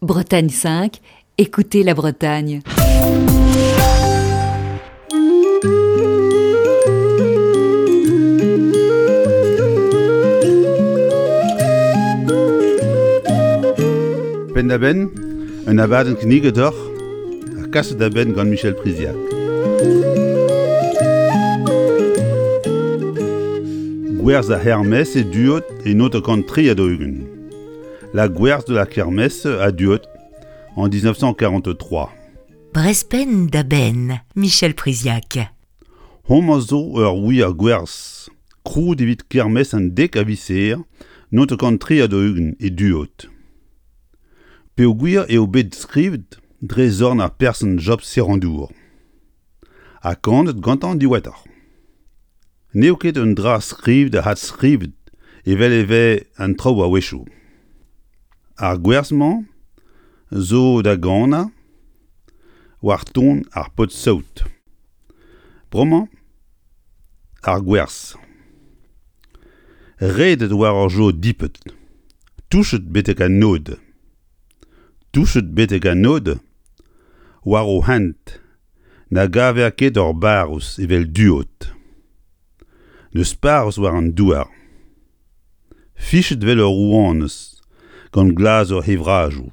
Bretagne 5, écoutez la Bretagne. Penn-da-benn, un abadenn kinniget deoc'h ha kaset da benn gant Michel Priziac. Gwerzh ar c'hermes e Duod e 1943. La gwerz de la kermesse à Duod en 1943. Brezpenn da benn, Michel Priziac. Homañ zo ur wir gwerz krouet evit kermes an dek a viz 1943 e Duod. Peogwir eo bet skrivet dre zorn ar person Job Serandour. Ha kanet gantañ diwezhatoc'h. N'eo ket un dra skrivet ha adskrivet evel e vez an traoù a-wechoù. Ar gwerz-mañ zo da ganañ war ton ar paotr-saout. Bremañ ar gwerz. Redet war ur jod dipet, touchet betek an nod. Touchet betek an nod, war o hent Na gaver ket ur barrouz evel Duod. N'eus parrouz war an douar. Fichet 'vel ur rouanez gant glazur he vrajoù.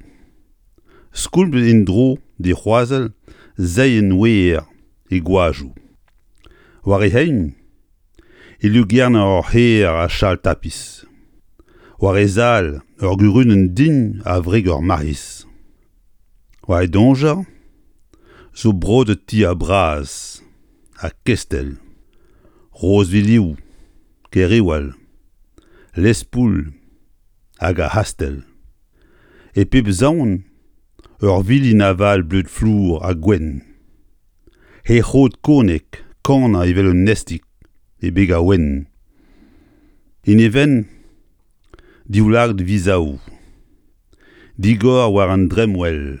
Skoulmet en-dro d'he c'hroazell seienn wer he gwajoù. War he c'hein e lugern ur c'hêr a chal tapis. War he zal ur gurunenn din a wreg ur marc'hiz. War e doñjer zo brodet tier bras ha kestell, Rozvilioù, Kerriwal, Lespoul hag ar c'hastell. E pep saon ur vilin aval bleud flour ha gwenn. He c'hrod konek kanañ evel un nestig e beg ar ouenn. En e benn divlagad vizaoù. Digor war an dremmwel,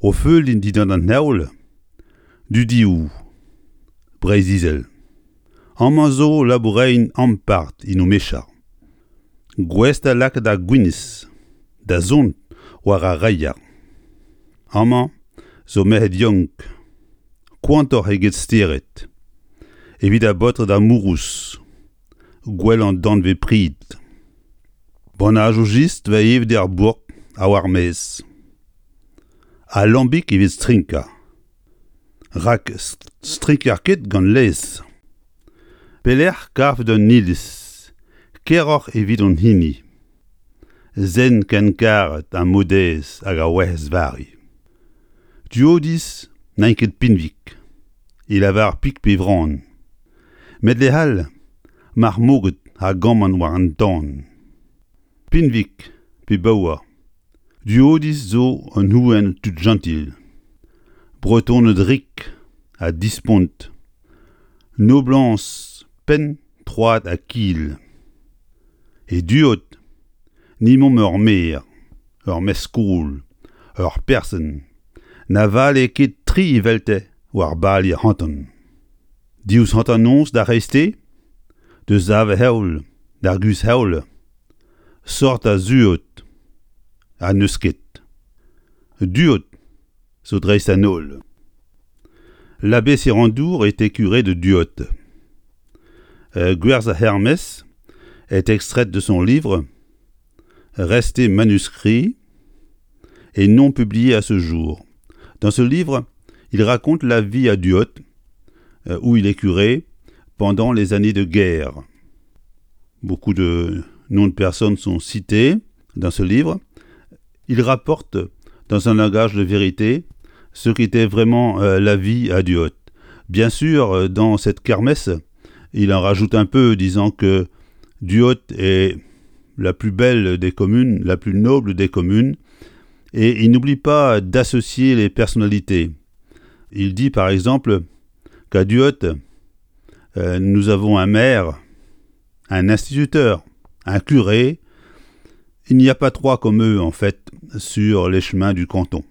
o feuliñ dindan an heol, dudioù Breizh-Izel. Amañ zo laboureien ampart en o mecha, gouest da lakaat ar gwinizh da zont war ar reier. Amañ zo merc'hed yaouank, koantoc'h eget stered, evit ar baotred amourous. Gwellañ danvez prid. Bannajoù jistr 'vez evet er bourk ha war maez. Ha lambig evit strinkañ. Rak strinker ket gant laezh. Pelec'h kavit un iliz keroc'h evit hon hini? Zen ken karet ha Maodez hag ar Werc'hez Vari. Duodiz n'int ket pinvik, e lavar pik pe vran. Met lec'h all, mar moged a gamman war an tan. Pinvik pe baour, Duodiz zo un ouenn tudjentil, Bretoned rik ha dispont, noblañs penn, troad ha kil. E Duod, ni 'momp ur maer, ur mestr-skol, ur person, na vale ket tri evelte war bali ar c'hanton. Diouzh hanternoz d'ar c'hreisteiz, deus sav-heol d'ar guzh-heol, sort a zuod ha n'eus ket. Duod zo dreist an holl. L'abbé Sirandour était curé de Duod. Euh, Gwerz Hermès est extraite de son livre resté manuscrit et non publié à ce jour. Dans ce livre, il raconte la vie à Duot, euh, où il est curé pendant les années de guerre. Beaucoup de noms de personnes sont cités dans ce livre. Il rapporte dans un langage de vérité ce qu'était vraiment euh, la vie à Duot. Bien sûr, euh, dans cette kermesse, il en rajoute un peu, disant que Duot est la plus belle des communes, la plus noble des communes, et il n'oublie pas d'associer les personnalités. Il dit par exemple qu'à Duot, euh, nous avons un maire, un instituteur, un curé. Il n'y a pas trois comme eux, en fait, sur les chemins du canton.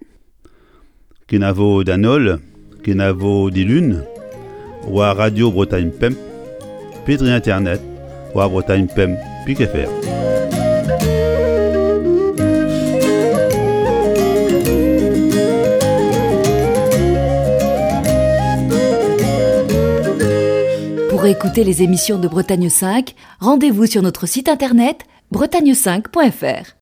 Kenavo d'an holl, kenavo dilun, war Radio Bretagne Pemp, pe dre internet war Bretagne Pemp pik fr. Pour écouter les émissions de Bretagne 5, rendez-vous sur notre site internet bretagne5.fr.